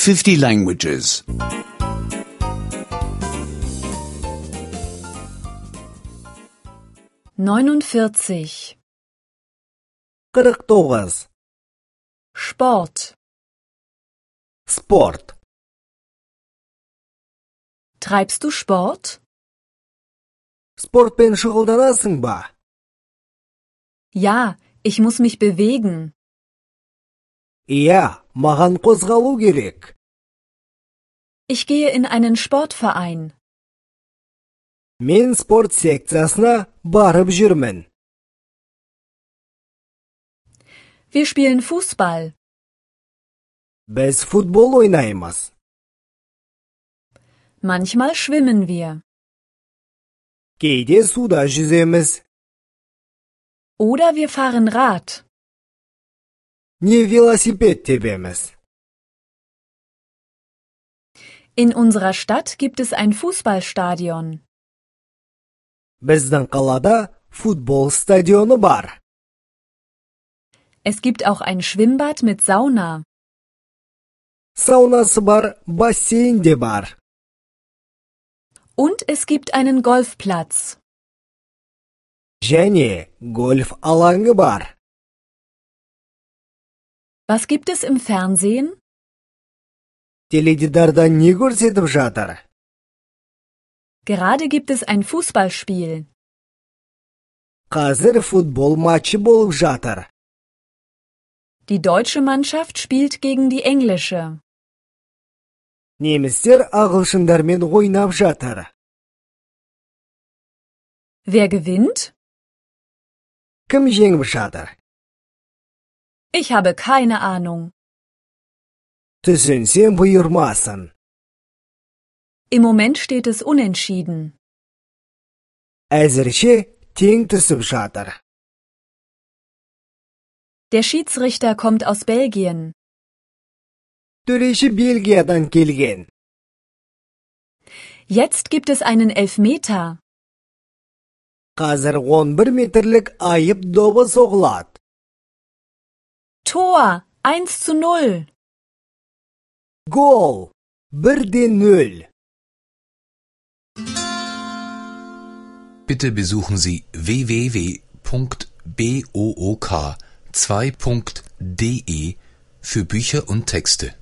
50 languages. 49. 49. Sport. Sport. Treibst du Sport? Спортпен шұғылданасың ба? Ja, ich muss mich bewegen. Иә, маған қозғалу керек. Ich gehe in einen Sportverein. Мен спорт секциясына барып жүрмін. Wir spielen Fußball. Біз футбол ойнаймыз. Manchmal schwimmen wir. Кейде суда жүземіз. Oder wir fahren Rad. Не велосипед тебеміз. In unserer Stadt gibt es ein Fußballstadion. Біздің қалада футбол стадионы бар. Es gibt auch ein Schwimmbad mit Sauna. Саунасы бар, бассейн де бар. Und es gibt einen Golfplatz. Және гольф алаңы бар. Was gibt es im Fernsehen? Теледидарда не көрсетіп жатыр? Gerade gibt es ein Fußballspiel. Қазір футбол матчы болып жатыр. Die deutsche Mannschaft spielt gegen die englische. Немістер ағылшындармен ойнап жатыр. Wer gewinnt? Кім жеңіп жатыр? Ich habe keine Ahnung. Түсінсем бұйырмасын. Im Moment steht es unentschieden. Әзірше тең түсіп жатыр. Der Schiedsrichter kommt aus Belgien. Төреші Бельгиядан келген. Jetzt gibt es einen Elfmeter. Қазір 11 метрлік айып добы соғылады. Tor 1:0. Гол 1:0. Bitte besuchen Sie www.book2.de für Bücher und Texte.